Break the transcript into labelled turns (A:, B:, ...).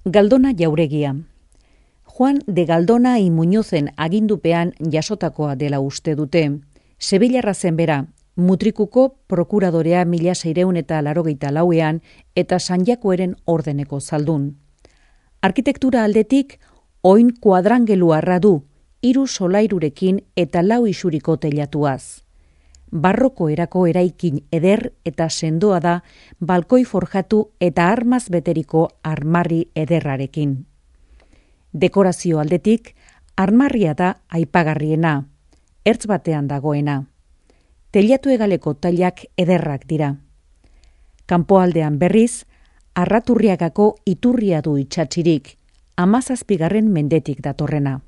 A: Galdona jauregia. Juan de Galdona y Muñozen agindupean jasotakoa dela uste dute. Sevillarra zen bera, Mutrikuko prokuradorea 1684ean eta San Jakoeren ordeneko zaldun. Arkitektura aldetik, oin kuadrangeluarra du, 3 solairurekin eta 4 isuriko teilatuaz. Barroko erako eraikin eder eta sendoa da balkoi forjatu eta armaz beteriko armarri ederrarekin. Dekorazio aldetik, armarria da aipagarriena, ertz batean dagoena. Teilatu egaleko tailak ederrak dira. Kanpoaldean berriz, Arraturriagako iturria du itsatsirik, 17. mendetik datorrena.